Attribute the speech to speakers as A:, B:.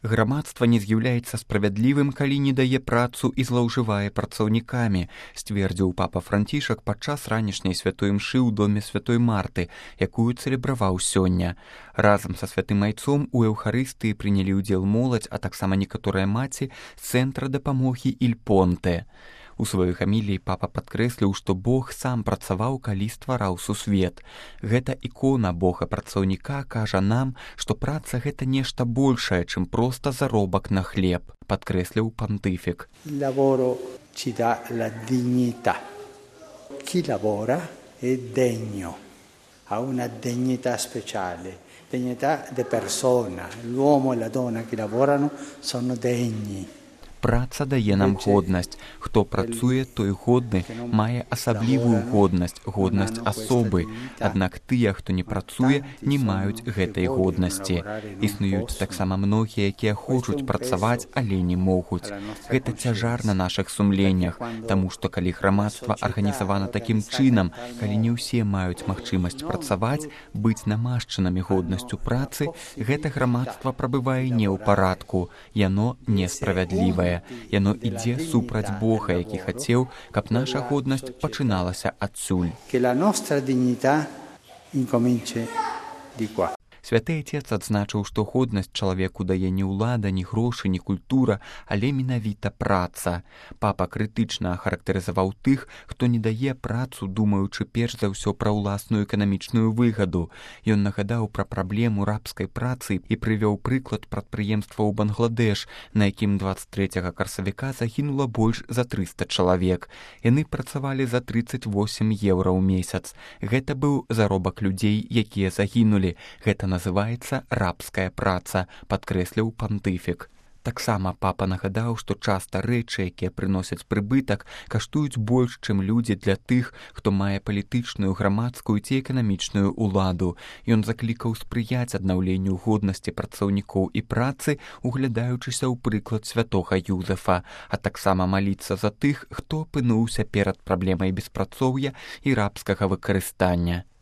A: Грамадства не з'яўляецца справядлівым, калі не дае працу і злоўжывае працаўнікамі, сцвердзіў папа Францішак падчас ранішняй святой імшы ў доме святой Марты, якую цэлебраваў сёння. Разам са святым айцом у эўхарыстыі прынялі ўдзел моладзь, а таксама некаторыя маці з цэнтра дапамогі Иль Понте. У сваёй хаміліі папа падкрэсліў, што Бог сам працаваў, калі ствараў сусвет. Гэта ікона Бога-працаўніка кажа нам, што праца гэта нешта большае, чым проста заробак на хлеб, падкрэсліў пантыфік.
B: Lavoro ci dà la dignità. Chi lavora è degno, ha una dignità speciale, dignità di persona. L'uomo e la donna che lavorano sono degni.
A: Праца дае нам годнасць. Хто працуе, той годны, мае асаблівую годнасць, годнасць асобы. Аднак тыя, хто не працуе, не маюць гэтай годнасці. Існуюць таксама многія, якія хочуць працаваць, але не могуць. Гэта цяжар на нашых сумленнях, таму што калі грамадства арганізавана такім чынам, калі не ўсе маюць магчымасць працаваць, быць намашчанымі годнасцю працы, гэта грамадства прабывае не ў парадку, яно несправядлівае. Яно ідзе супраць Бога, які хацеў, каб наша годнасць пачыналася адсюль. Святы Отец адзначыў, што годнасць чалавеку дае не ўлада, ні грошы, ні культура, але менавіта праца. Папа крытычна ахарактарызаваў тых, хто не дае працу, думаючы перш за ўсё пра ўласную эканамічную выгаду. Ён нагадаў пра праблему рабскай працы і прывёў прыклад прадпрыемства ў Бангладеш, на якім 23 красавіка загінула больш за 300 чалавек. Яны працавалі за 38 еўра ў месяц. Гэта быў заробак людзей, якія загінулі. Гэта называецца рабская праца, падкрэсліў пантыфік. Таксама папа нагадаў, што часта рэчы, якія прыносяць прыбытак, каштуюць больш, чым людзі для тых, хто мае палітычную, грамадскую ці эканамічную ўладу. Ён заклікаў спрыяць аднаўленню годнасці працаўнікоў і працы, углядаючыся ў прыклад святога Юзефа, а таксама маліцца за тых, хто апынуўся перад праблемай беспрацоўя і рабскага выкарыстання.